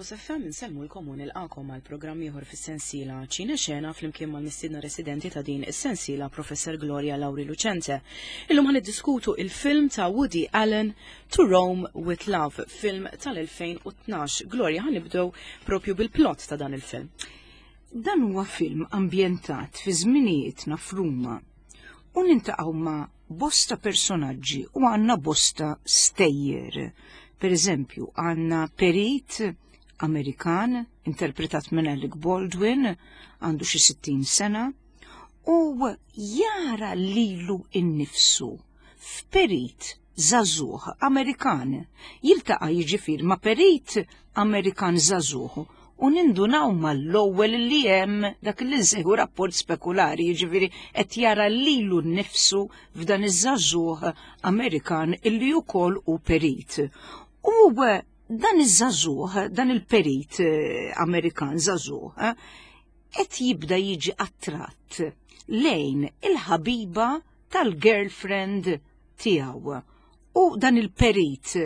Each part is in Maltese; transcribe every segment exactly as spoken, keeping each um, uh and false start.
Campus F M insellmulkom u nilqakom għal programm ieħor fis-sensiela Ċine Xena flimkien mal-mistiedna residenti ta' din is-sensiela, Professor Gloria Lauri Lucente. Illum ħa niddiskutu il-film ta' Woody Allen, To Rome with Love, film tal-elfejn u tnax. Gloria, ħa nibdew propju bil-plot ta' dan il-film. Dan huwa film ambjentat fi żminijietna f'Ruma u niltaqgħu ma' bosta personaġġi u għandna bosta stejjer. Per eżempju, għandna perit Amerikan, interpretat minn Alec Baldwin, għandu xi sittin sena, u jara lilu innifsu f'perit żagħżugħ Amerikan. Jiltaqa' jiġifieri ma' perit Amerikan żagħżugħ u nindunaw mal-ewwel li hemm dak li nsejħu rapport spekulari, jiġifieri qed jara lilu nnifsu f'dan iż-żagħżugħ Amerikan illi wkoll hu perit. U dan iż-żagħżugħ, dan il-perit eh, Amerikan żagħżugħ, eh, qed jibda jiġi attratt lejn il-ħabiba tal-girlfriend tiegħu. U dan il-perit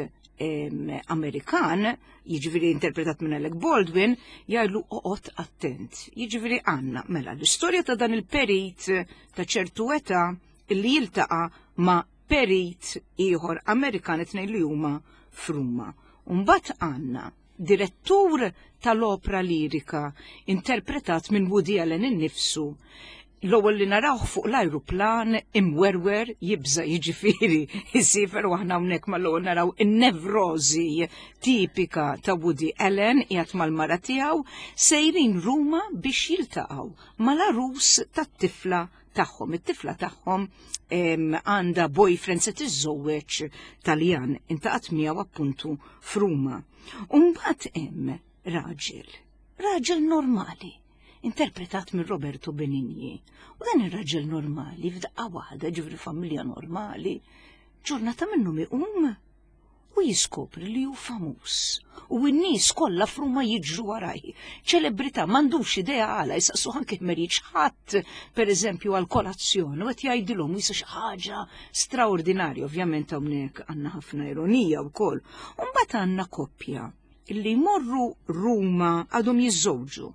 Amerikan, jiġifieri interpretat minn Alec Baldwin, jgħidlu oqgħod attent. Jiġifieri għandna mela l-istorja ta' dan il-perit ta' ċertu età illi jiltaqa' ma' perit ieħor Amerikan, it-tnejn li huma f'Ruma. Mbagħad għandna direttur tal-opra lirika interpretat minn Woody Allen innifsu. L-ewwel li narawh fuq l-ajruplan imwerwer, jibża jiġifieri jsiefer, u aħna hawnhekk mal-ewwel naraw in-nevrożi tipika ta' Woody Allen qiegħed mal-mara tiegħu sejrin Ruma biex jiltaqgħu mal-arus tat-tifla tagħhom. It-tifla tagħhom għandha boyfriend, se tiżżewweġ Taljan, iltaqgħet miegħu appuntu f'Ruma. U mbagħad hemm raġel, raġel normali, interpretat minn Roberto Benigni. U dan ir-raġel normali, f'daqqa waħda, ġifieri familja normali, ġurnata minnhom iqum u jiskopri li hu famuż. U n-nies kollha f'Ruma jiġru waraj. Ċelebrità, m'għandux idea għala, jisaqsu anke meriċ ħadd, per eżempju, għal kolazzjon, u qed jgħidilhom jisa xi ħaġa straordinarja, ovvjament hawnhekk għandna ħafna ironija wkoll. U mbagħad għandna koppja illi jmorru Ruma, għadhom jiżżewġu.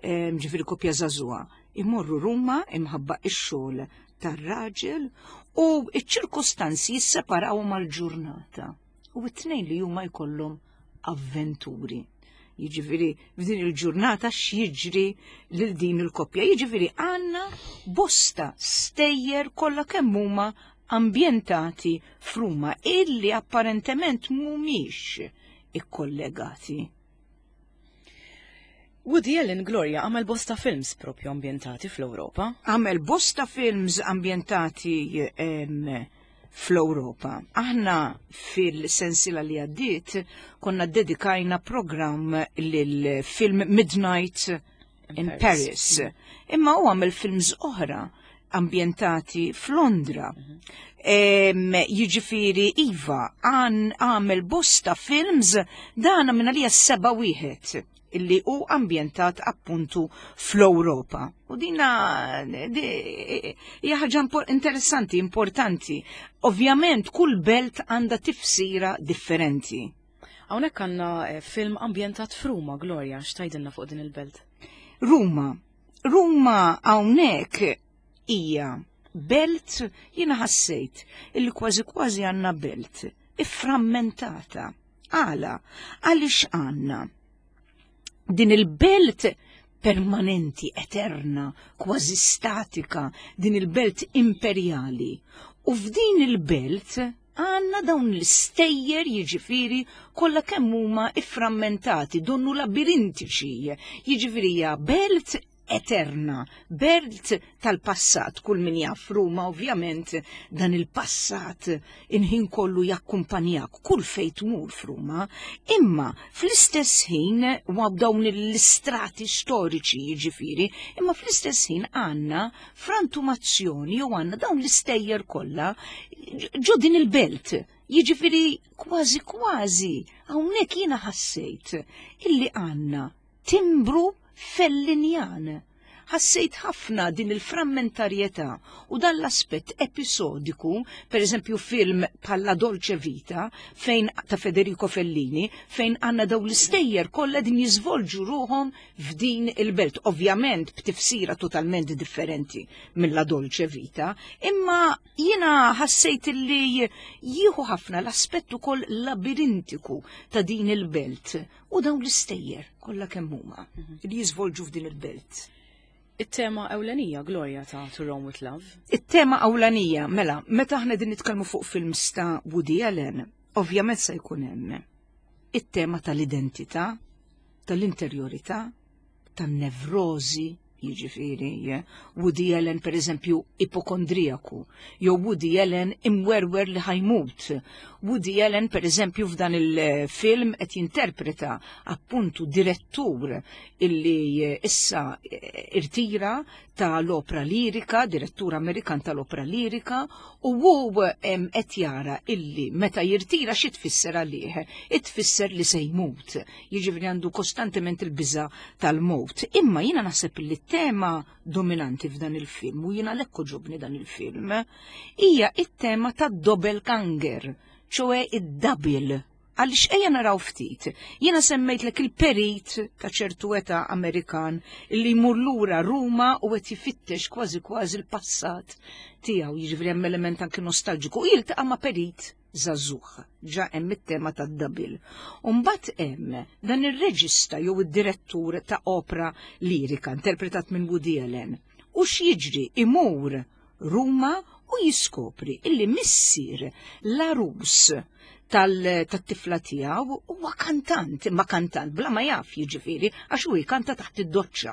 Ġifieri koppja żagħżugħa, imorru Ruma imħabba ix-xogħol tar-raġel u iċ-ċirkostanzi jisseparaw mal-ġurnata. U t-tnejn li huma jkollhom avventuri. Jiġifieri f'din il-ġurnata x'jiġri lil din il-koppja. Jiġifieri għandna bosta stejjer kollha kemm huma ambjentati f'Ruma illi apparentement mhumiex ikkollegati. Woody Allen, Gloria, għamel bosta films propju ambjentati fl-Ewropa. Għamel bosta films ambjentati fl-Ewropa. Aħna fil-sensila li għaddiet konna dedikajna program lil-film Midnight in Paris. Paris. Imma u għamel films oħra ambjentati f'Londra. Jiġifieri iva, għamel bosta films, dana minn għalija seba' wieħed illi hu ambjentat appuntu fl-Ewropa. U dina hija ħaġa interessanti, importanti. Ovvjament kull belt għandha tifsira differenti. Hawnhekk għandna eh, film ambjentat f'Ruma, Gloria, x'tgħidilna fuq din il-belt? Ruma. Ruma hawnhekk hija belt, jiena ħassejt illi kważi kważi għandna belt ifframmentata. Għala, għaliex għandna din il-belt permanenti, eterna, kważi statika, din il-belt imperjali. U f'din il-belt għandna dawn l-istejjer, jiġifieri kollha kemm huma ifframmentati, donnu labirintiċi, jiġifieri hija belt eterna, belt tal-passat. Kull min jaf Ruma, ovvjament dan il-passat il-ħin kollu jakkumpanjak kull fejn tmur f'Ruma, imma fl-istess ħin u dawn l-istrati storiċi jiġifieri, imma fl-istess ħin għandna frantumazzjoni u għandna dawn l-istejjer kollha ġo din il-belt. Jiġifieri kważi kważi hawnhekk jiena ħassejt illi għandna timbru Fellinjan. Ħassejt ħafna din il-frammentarjetà u dan l-aspett episodiku, per eżempju film bħal La Dolce Vita, fejn ta' Federico Fellini, fejn għandna daw l-istejjer kollha din jiżvolġu ruħhom f'din il-belt, ovvjament b'tifsira totalment differenti minn La Dolce Vita, imma jiena ħassejt li jieħu ħafna l-aspett ukoll labirintiku ta' din il-belt u dawn l-istejjer kollha kemm huma li jiżvolġu f'din il-belt. It-tema ewlenija, Gloria, ta' To Rome with Love. It-tema ewlenija, mela, meta aħna din nitkellmu fuq films ta' Woody Allen, ovvjament se jkun hemm it-tema tal-identità, tal-interjorità, tan-nevrozi, jiġifieri, Woody Allen per eżempju ipokondrijaku, jew Woody Allen imwerwer li ħa jmut. Woody Allen per eżempju f'dan il-film qed jinterpreta appuntu direttur illi issa irtira tal-opra lirika, direttur Amerikan tal-opra lirika, u hu qed jara illi meta jirtira xi tfisser għalih, tfisser li se jmut. Jiġifieri għandu kostantement il-biża tal-mowt. Imma jiena naħseb li tema dominanti f'dan il-film, u jiena għalhekk għoġobni dan il-film, hija it-tema ta' doppelganger, ċoè id-double. Għaliex ejja naraw ftit, jiena semmejtlek il-perit ta' ċertu età Amerikan li jmur lura Ruma u qed jifittex kważi kważi l-passat tiegħu, jiġifieri hemm element anki nostalġiku, u jiltaqa' ma' perit żagħżugħ, ġa hemm it-tema tad-double. U mbagħad hemm dan ir-reġista jew id-direttur ta' opera lirika interpretat minn Woody Allen. U x'jiġri? Imur Ruma u jiskopri illi missier l-għarus tat-tifla tiegħu huwa kantant, imma kantant bla ma jaf jiġifieri għax hu jkanta taħt id-doċċa.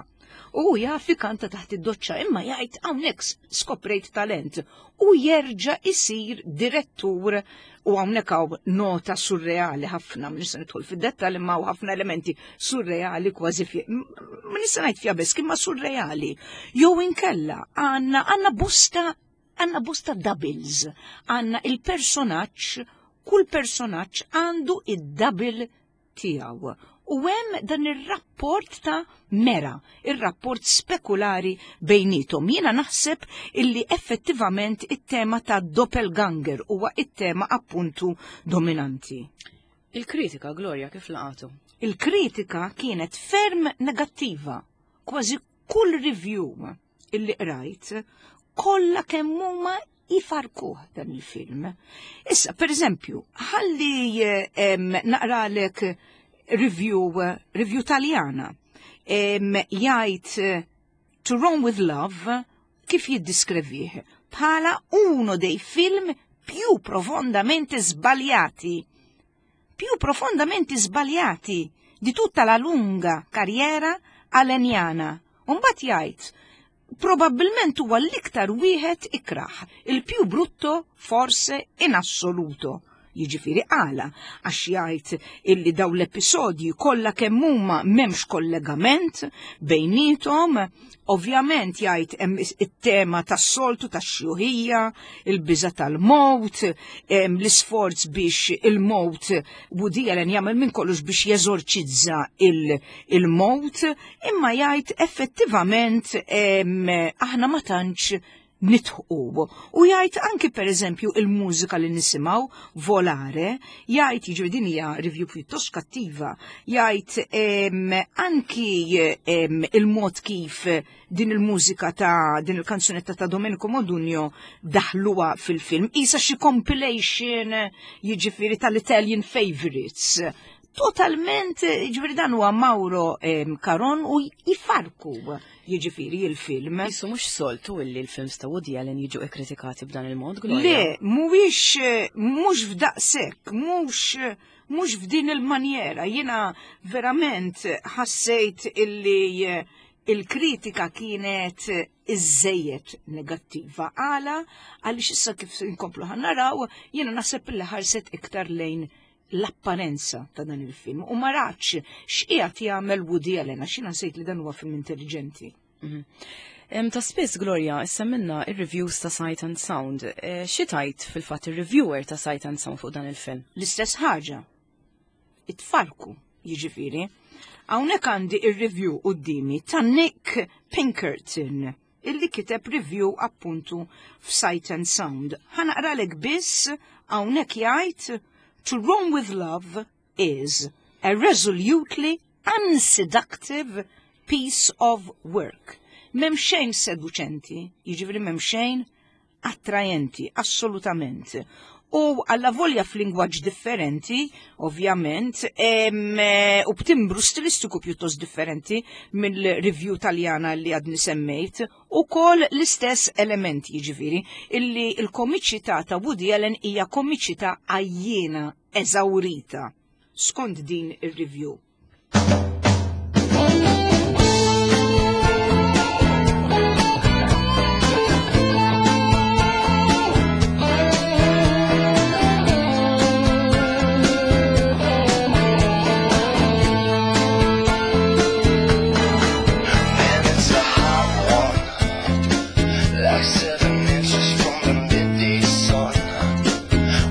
U jaf jkanta taħt id-doċċa imma jgħid hawnhekk skoprejt talent u jerġa' isir direttur u hawnhekk hawn nota surreali ħafna, ma nista' nidħol fid-dettall imma hawn ħafna elementi surreali kważi fi, ma nista' ngħid fiabeschi imma surreali. Jew inkella għandna għandna bosta għandna bosta doubles, għandna il-personaġġ, kull personaġġ għandu id-double tiegħu. U hemm dan ir-rapport ta' mera, ir-rapport spekulari bejnietom. Jiena naħseb illi effettivament it-tema ta' doppelganger huwa it-tema appuntu dominanti. Il-kritika, Gloria, kif laqatu? Il-kritika kienet ferm negattiva. Kważi kull review illi qrajt, kollha kemm huma ifarkuh dan il-film. Issa, per eżempju, ħalli naqralek review, review taljana. Jgħid To Rome with Love kif jiddiskrivih bħala uno dei film più profondamente sbagliati, più profondamente sbagliati di tutta la lunga carriera alleniana. Umbagħad jgħid probabbilment huwa l-iktar wieħed ikraħ, il più brutto forse in assoluto. Jiġifieri għala, għax jgħid illi daw l-episodji kollha kemm huma m'hemmx kollegament bejnietom, ovvjament jgħid hemm it-tema tas-soltu tax-xjuħija, il-biża tal-mowt, l-isforz biex il-mowt Woody Allen jagħmel minn kollox biex jeżorċizza il-mowt, imma jgħid effettivament aħna ma tantx nidħqu. U jgħid anki per eżempju il-mużika li nisimgħu Volare, jgħid jiġri din hija review pjuttost kattiva, jgħid anki il-mod kif din il-mużika ta' din il-kanzunetta ta' Domenico Modugno daħluha fil-film, isa xi compilation jiġifieri tal-Italian favorites. Totalment, jiġifieri dan huwa Mauro Caron u jifarku jiġifieri il-film. Qisu mhux soltu illi l-films ta' Woody Allen jiġu ikkritikati b'dan il-mod, Gloria? Le, mhuwiex mhux f'daqshekk, mhux mhux f'din il-manjera. Jiena verament ħassejt illi il-kritika kienet iżżejjed negattiva. Għala, għaliex issa kif inkomplu ħa naraw, jiena naħseb illi ħarset iktar lejn l-apparenza ta' dan il-film u ma ratx x'qiegħed jagħmel Woody Allen għax jiena nsejt li dan huwa film intelligenti. Mhm. Ta' spiss, Gloria, issa minna ir-reviews ta' Sight and Sound. E, xi tgħid fil-fatt ir-reviewer ta' Sight and Sound fuq dan il-film? L-istess ħaġa. Itfarku Jiġifieri. Hawnhekk għandi ir-review qudiemi ta' Nick Pinkerton, illi kiteb review appuntu f'Sight and Sound. Ħa naqralek biss. Hawnhekk jgħid: "To Rome with Love is a resolutely unseductive piece of work." M'hemm xejn seduċenti, jiġifieri m'hemm xejn attrajenti, assolutament. U alla volja f'lingwaġġ differenti, ovvjament, em, eh, u b'timbru stilistiku pjuttost differenti mill-review Taljana li għadni semmejt, u koll l-istess elementi, jiġifieri, illi il-komiċità ta' Woody Allen hija komiċità għajjiena, eżawrita, skont din ir-review. Man, it's a hot one, like seven inches from the midday sun.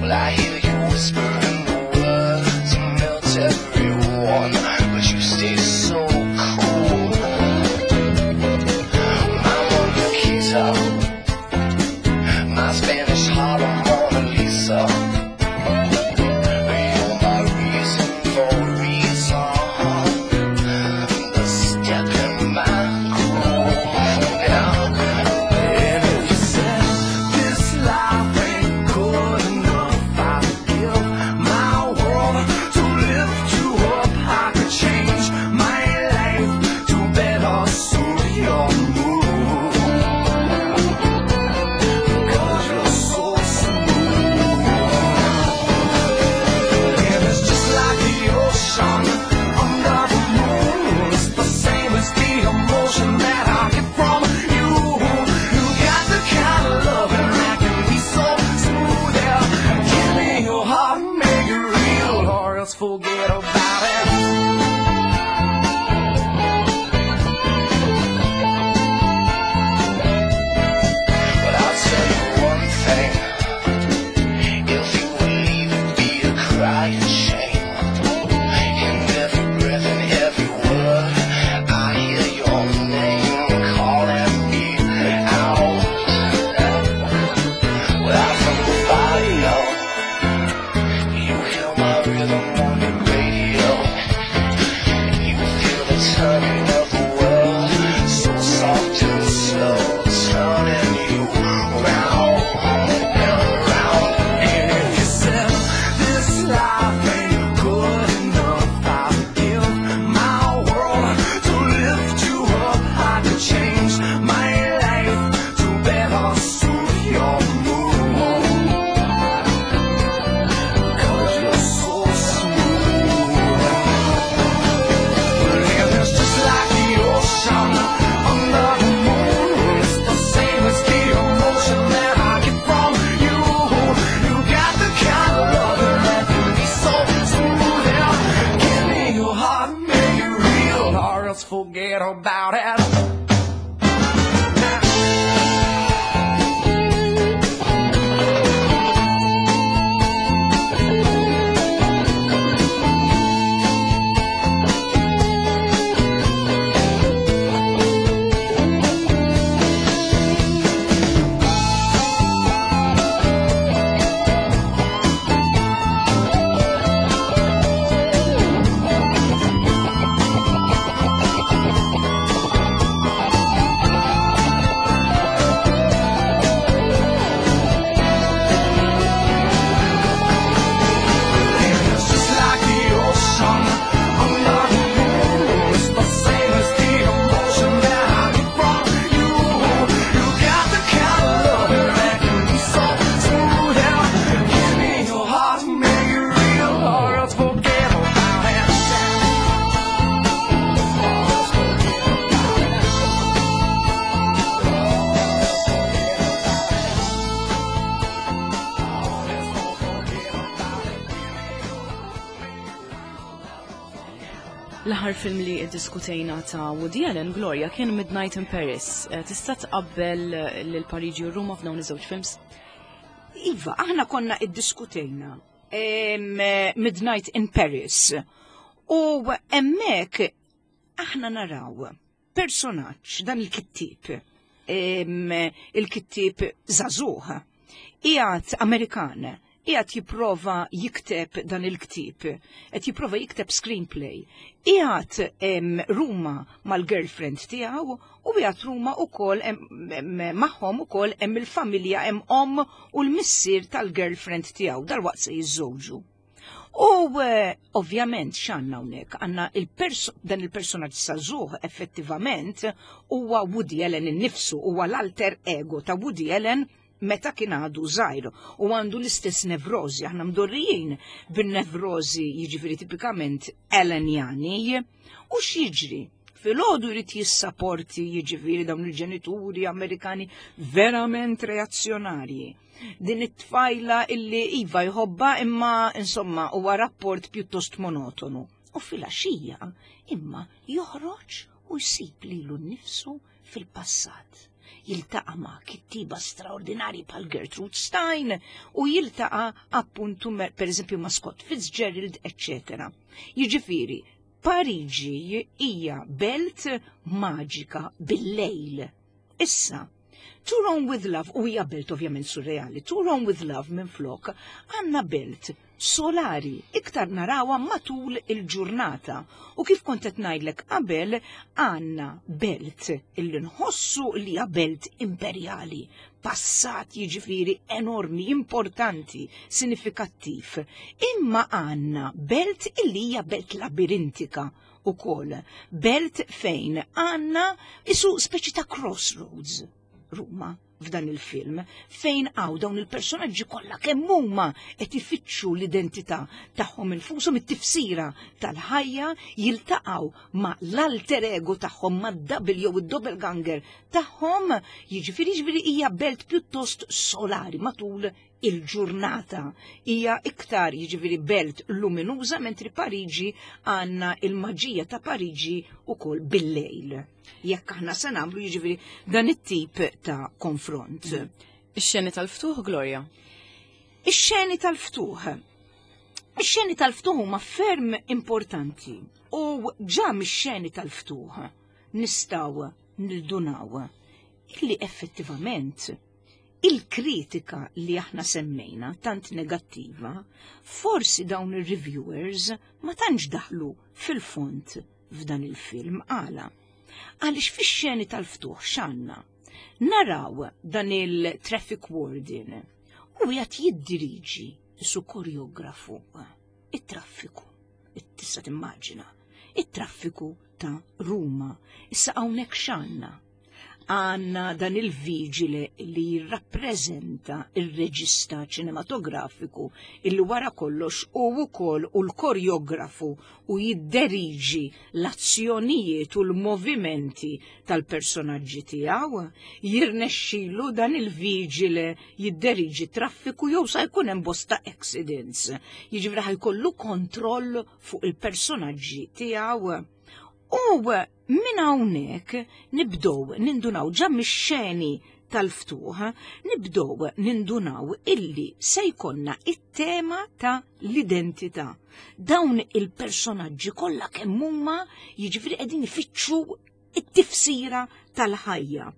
Well, I hear you whispering the words to melt everyone, but you stay so cool. My Mona my Spanish Harlem Mona Lisa. You're my reason for reason. The step in my groove. Yeah. And if you said this life ain't good enough, I'd give my world to lift you up. I could change my life to better suit your mood. 'Cause you're so smooth. And it's just like the ocean under the moon. It's the same as the emotion that I get from you. You got the kind of loving that can be so smooth. Yeah. Give me your heart, make it real, or else forget about it. But I'll tell you one thing. If you would leave, it'd be a crying shame. In every breath and every word, I hear your name calling me out. Well, I'm from the barrio. You hear my rhythm on the radio. You feel the turning of the world, so soft and slow, turning you round and round. And if you said this life ain't good enough, I'd give my world to lift you up. I could change my life to better suit your mood. 'Cause you're so smooth. And it's just like the ocean under the moon. It's the same as the emotion that I get from you. You got the kind of loving that can be so smooth. Yeah. Give me your heart, make it real, or else forget about it. It's just like the ocean under the moon. It's the same as the emotion that I get from you. You got the kind of loving that can be so smooth. Yeah. Give me your heart, make it real, or else forget about it. Or else forget about it. Or else forget about it. L-aħħar film li iddiskutejna ta' Woody Allen, Gloria, kien Midnight in Paris. Eh, Tista' tqabbel lil Pariġi u Ruma f'dawn iż-żewġ films? Iva, aħna konna iddiskutejna em, eh, Midnight in Paris. U hemmhekk aħna naraw personaġġ, dan il-kittib, il-kittib żagħżugħ, qiegħed Amerikan, qiegħed jipprova jikteb dan il-ktib, qed jipprova jikteb screenplay, qiegħed Ruma mal-girlfriend tiegħu u qiegħed Ruma ukoll magħhom ukoll hemm il-familja, hemm omm u l-missier tal-girlfriend tiegħu, dalwaqt se jiżżewġu. U ovvjament x'għandna hawnhekk? Għandna dan il-personaġġ żagħżugħ effettivament huwa Woody Allen innifsu, huwa l-alter ego ta' Woody Allen meta kien għadu żgħir u għandu l-istess nevrozi, aħna mdorrijin bin-nevrozi jiġifieri tipikament Allenjani. U x'jiġri? Filgħodu jrid jissaporti jiġifieri dawn il-ġenituri Amerikani verament reazzjonarji. Din it-tfajla illi iva jħobba imma insomma huwa rapport pjuttost monotonu. U filgħaxija imma joħroġ u jsib lilu nnifsu fil-passat. Jiltaqa' ma' kittiba straordinari bħal Gertrude Stein u jiltaqa' appuntu per eżempju ma' Scott Fitzgerald, eccetera. Jiġifieri, Pariġi hija belt maġika bil-lejl. Issa, To Rome with Love, u hija belt ovvjament surreali, To Rome with Love minn flok għandna belt solari, iktar narawha matul il-ġurnata. U kif kont qed ngħidlek qabel, għandna belt illi nħossu li hija belt imperjali, passat jiġifieri enormi, importanti, sinifikattiv. Imma għandna belt illi hija belt labirintika ukoll, belt fejn għandna isu speċi ta' crossroads. Ruma f'dan il-film fejn għaw dawn il-personaġġi kollha kemm huma qed ifittxu l-identità tagħhom infushom, it-tifsira tal-ħajja, jiltaqgħu ma' l-alter ego tagħhom, ma' double jew id-doppelganger tagħhom, jiġifieri jiġifieri hija belt pjuttost solari matul il-ġurnata. Hija iktar jiġifieri belt luminuża, mentri Pariġi għandna il-maġija ta' Pariġi ukoll bil-lejl. Jekk aħna se nagħmlu jiġifieri dan it-tip ta' konfront. Ix-xeni tal-ftuħ, Gloria? Ix-xeni tal-ftuħ. Ix-xeni tal-ftuħ huma ferm importanti u ġa mix-xeni tal-ftuħ nistgħu nildunaw illi effettivament il-kritika li aħna semmejna tant negattiva, forsi dawn ir-reviewers ma tantx daħlu fil-fond f'dan il-film. Għala? Għaliex fix-xeni tal-ftuħ x'għandna? Naraw dan il-traffic warden u qiegħed jiddiriġi su koreografu it-traffiku. Tista' timmaġina it-traffiku ta' Ruma. Issa hawnhekk x'għandna? Għandna dan il-vigile li jirrappreżenta il-reġista ċinematografiku illi wara kollox u wkoll u l-koreografu u jidderiġi l-azzjonijiet u l-movimenti tal-personaġġi tiegħu. Jirnexxilu dan il-vigile jidderiġi traffiku jew sa jkun hemm bosta accidents. Jiġifieri ħajkollu kontroll fuq il-personaġġi tiegħu. U minn hawnhekk nibdew nindunaw ġa mix-xeni tal-ftuħ, nibdew nindunaw illi se jkollna it-tema ta' l-identità. Dawn il-personaġġi kollha kemm huma jiġifieri qegħdin ifittxu it-tifsira tal-ħajja.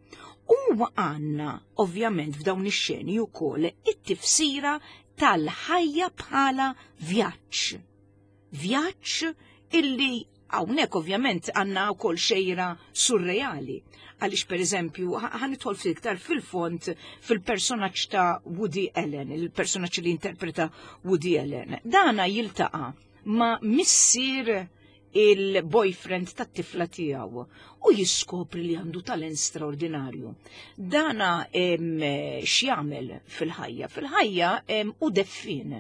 U għandna ovvjament f'dawn ix-xeni wkoll it-tifsira tal-ħajja bħala vjaġġ. Vjaġġ illi hawnhekk ovvjament għandna wkoll xejra surreali. Għaliex per eżempju, ħa nidħol iktar fil-fond fil-personaġġ ta' Woody Allen, il-personaġġ li interpreta Woody Allen. Dana jiltaqa' ma' missier il-boyfriend tat-tifla tiegħu u jiskopri li għandu talent straordinarju. Dana x'jagħmel fil-ħajja? Fil-ħajja u deffin.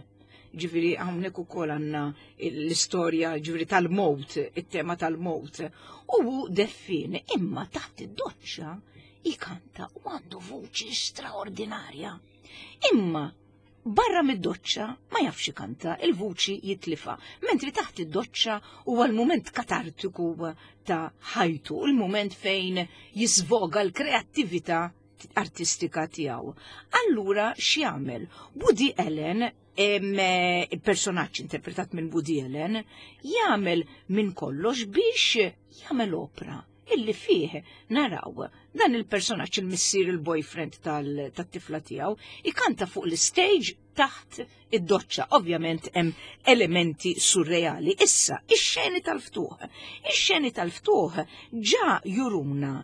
Ġifieri hawnhekk ukoll għandna l-istorja ġifieri tal-mowt, it-tema tal-mowt. U hu deffin, imma taħt id-doċċa jkanta u għandu vuċi straordinarja. Imma barra mid-doċċa ma jafx ikanta, il-vuċi jitlifa, mentri taħt id-doċċa huwa l-mument katartiku ta' ħajtu, il-mument fejn jisvoga l-kreattività artistika tiegħu. Allura x'jagħmel? Woody Allen Il-personaġġ interpretat minn Woody Allen jagħmel minn kollox biex jagħmel opra illi fih naraw dan il-personaġġ, il-missier, il-boyfriend tat-tifla tiegħu, ikanta fuq l-stage taħt id-doċċa. Ovvjament hemm elementi surreali. Issa, ix-xeni tal-ftuħ. Ix-xeni tal-ftuħ ġa juruna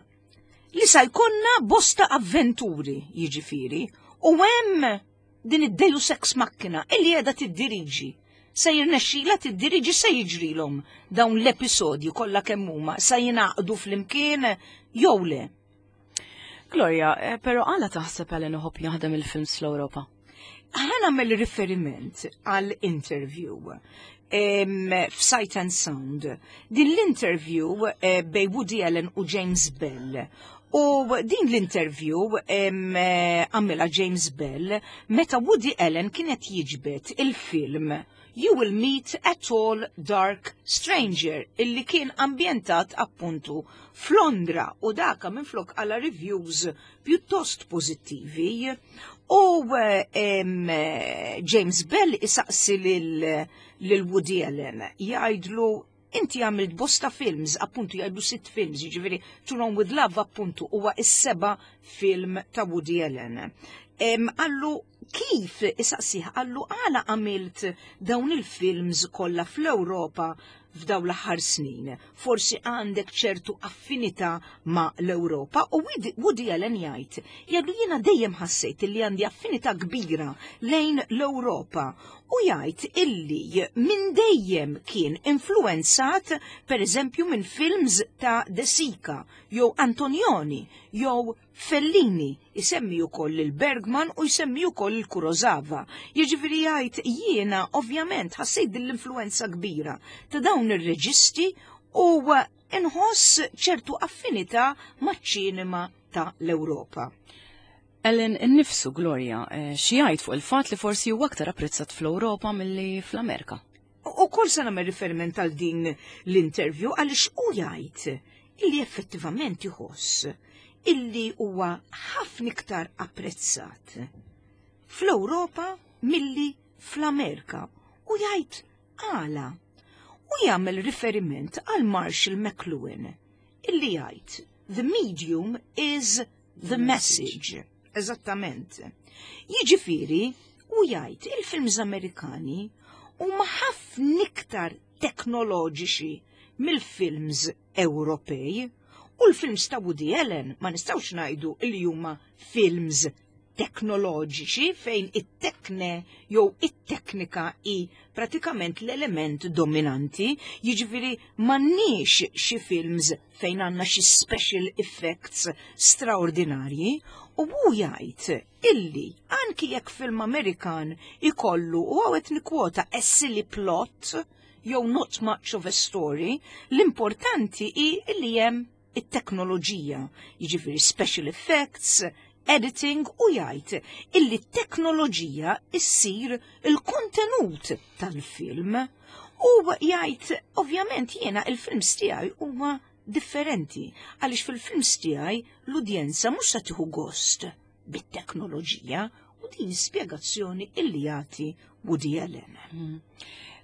li sa jkollna bosta avventuri, jiġifieri, u hemm din id-deus ex machina illi qiegħda tiddiriġi. Se jirnexxila tiddiriġi? Se jiġrilhom dawn l-episodji kollha kemm huma sa jingħaqdu flimkien jew le? Gloria, eh, pero għala taħseb Allen iħobb jaħdem il-films fl-Ewropa? Ħa nagħmel riferiment għal interview f'Sight and Sound. Din l-interview eh, bej Woody Allen u James Bell. U din l-interview eh, għamilha James Bell meta Woody Allen kienet jiġbed il-film You Will Meet a Tall Dark Stranger, illi kien ambjentat appuntu f'Londra u daka minn flok għala reviews pjuttost pozittivi. U um, James Bell isaqsi lil, lil Woody Allen, jgħidlu: "Inti għamilt bosta films", appuntu jgħidu sitt films, jiġifieri To Rome with Love appuntu huwa is-seba film ta' Woody Allen. Qallu kif, isaqsih, qallu: "Għala għamilt dawn il-films kollha fl-Ewropa f'daw l-aħħar snin? Forsi għandek ċertu affinità ma' l-Ewropa?" U Woody Allen jgħid, jgħidu: "Jiena dejjem ħassejt li għandi affinità kbira lejn l-Ewropa", u jgħid illi minn dejjem kien influenzat, per eżempju, minn films ta' De Sica jew Antonioni jew Fellini, isemmi ukoll il-Bergman u jsemmi ukoll il-Kurosawa. Jiġifieri jgħid: "Jiena ovvjament ħassejt din l-influenza kbira ta' dawn ir-reġisti u inħoss ċertu affinità maċ-ċinema ta' l-Ewropa." Allen innifsu, Gloria, eh, xi jgħid fuq il-fatt li forsi huwa aktar apprezzat fl-Ewropa milli fl-Amerika? U kol se nagħmel riferiment għal din l-interview għaliex u jgħid illi effettivament iħoss illi huwa ħafna iktar apprezzat fl-Ewropa milli fl-Amerika, u jgħid għala. U jagħmel riferiment għal Marshall McLuhan illi jgħid: "The medium is the message." Eżattament. Jiġifieri, u jgħid il-films Amerikani huma ħafna iktar teknoloġiċi mill-films Ewropej, u l-films ta' Woody Allen ma nistgħux ngħidu li huma films teknoloġiċi fejn it-tekne jew it-teknika i pratikament l-element dominanti, jiġifieri m'għandniex xi films fejn għandna xi special effects straordinarji, u hu jgħid illi anki jekk film Amerikan ikollu, u hawn nikkwota, "a silly plot" jew "not much of a story", l-importanti hi illi hemm it-teknoloġija, jiġifieri special effects, editing, u jgħid illi t-teknoloġija issir il-kontenut tal-film. U jgħid: "Ovvjament jiena il-films tiegħi huma differenti għaliex fil-films tiegħi l-udjenza mhux se tieħu gost bit-teknoloġija", u din spjegazzjoni illi jagħti Woody Allen. Mm.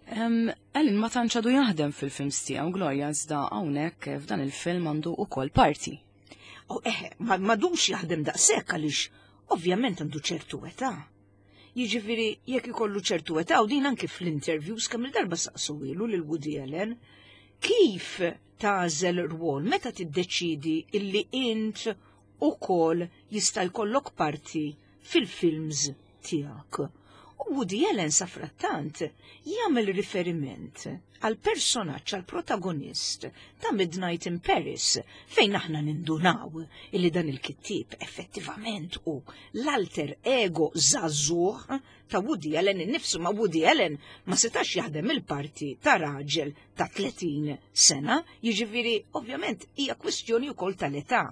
Um, Allen ma tantx għadu jaħdem fil-films tiegħu, Gloria, iżda hawnhekk f'dan il-film għandu ukoll parti. U eħe, ma m'għadux jaħdem daqshekk għaliex ovvjament għandu ċertu età. Jiġifieri jekk ikollu ċertu età, u din anke fl-interviews kemm il-darba saqsuhielu lil Woody Allen, kif tagħżel rwol, meta tiddeċidi illi int ukoll jista' jkollok parti fil-films tiegħek? U Woody Allen safrattant jagħmel riferiment għal personaġġ, għal protagonist ta' Midnight in Paris, fejn aħna nindunaw illi dan il-kittib effettivament u l-alter ego żagħżugħ ta' Woody Allen innifsu, ma Woody Allen ma setax jaħdem il-parti ta' raġel ta' tletin sena, jiġifieri ovvjament hija kwestjoni wkoll tal-età.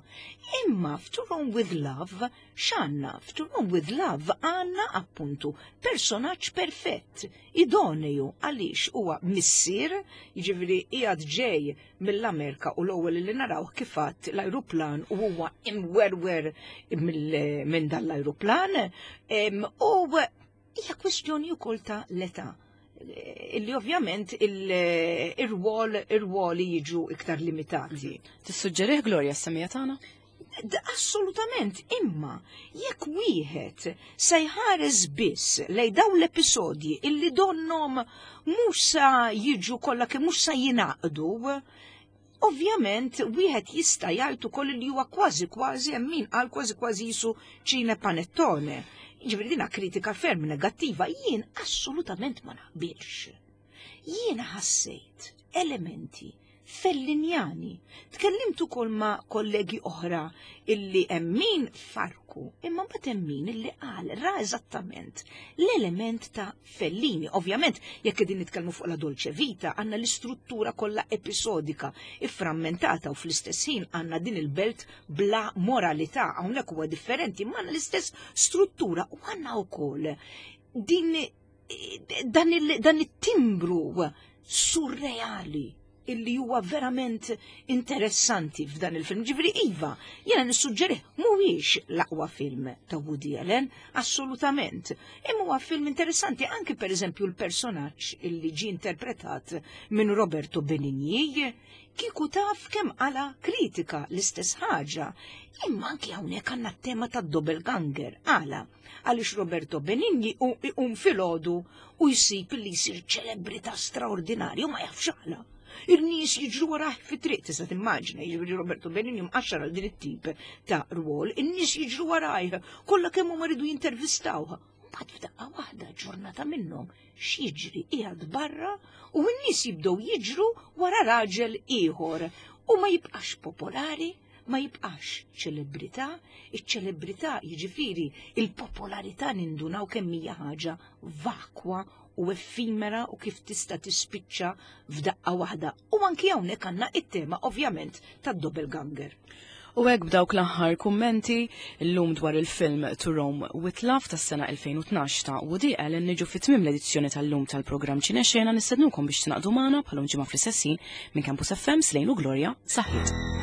Imma f'To Rome with Love x'għandna? F'To Rome with Love għandna appuntu personaġġ perfett, idoneju, għaliex huwa missier, jiġifieri qiegħed ġej mill-Amerika u l-ewwel li naraw kifat l-ajruplan u huwa imwerwer minn dan l-ajruplan u Hija kwestjoni wkoll ta' l-età illi ovvjament il-rwol ir-rwoli jiġu iktar limitati. Tissuġġerih, Gloria, s-semmiegħa tagħna? Assolutament, imma jekk wieħed se jħares biss lej dawn l-episodji illi donnom mhux sa jiġu kollha kemm mhux sa jingħaqdu, ovvjament wieħed jista' jgħid ukoll li huwa kważi kważi, hemm min qal kważi kważi qisu ċinepanettone. Ġifieri dina kritika ferm negattiva, jien assolutament ma naqbilx. Jiena ħassejt elementi fellinjani. Tkellimt ukoll ma' kollegi oħra illi hemm min farku, imma mbagħad hemm min illi qal ra eżattament l-element ta' Fellini. Ovvjament, jekk qegħdin nitkellmu fuq La Dolce Vita, għandna l-istruttura kollha episodika, ifframmentata, u fl-istess ħin għandna din il-belt bla moralità. Hawnhekk huwa differenti, imma għandna l-istess struttura u għandna wkoll din dan il-timbru surreali illi huwa verament interessanti f'dan il-film. Ġifieri iva, jena nissuġġerih. Mhuwiex l-aqwa film ta' Woody Allen, assolutament. Imma huwa film interessanti, anki per eżempju l-personaġġ illi ġi interpretat minn Roberto Benigni, kieku taf kemm għala kritika l-istess ħaġa. Imma anki hawnhekk għandna t-tema ta' doppelganger. Għala, għaliex Roberto Benigni iqum filgħodu u jsib li jsir ċelebrità straordinarju, ma jafx għala. Il-nies jiġru warah fit-triq, tista' timmaġina, jiġri Roberto Benigni mqaxxar għal din it-tip ta' rwol, in-nies jiġru warajh, kollha kemm huma ridu jintervistawh. Mbagħad f'daqqa waħda, ġurnata minnhom, x'jiġri? Qiegħed barra u n-nies jibdew jiġru wara raġel ieħor u ma jibqax popolari, ma jibqax ċelebrità. Iċ-ċelebrità, jiġifieri il-popolarità, nindunaw kemm hija ħaġa vakwa u effimera u kif tista' tispiċċa f'daqqa waħda. U anki hawnhekk għandna it-tema ovvjament tad-doppelganger. U hekk, b'dawk l-aħħar kummenti llum dwar il-film To Rome with Love tas-sena elfejn u tnax ta' Woody Allen niġu fit tmiem l-edizzjoni tal-lum tal-programm Ċinexena. Nistednukom biex tingħaqdu magħna bħal ġimgħa fl-istess ħin. Minn Campus F M, Slejn u Gloria, saħħit.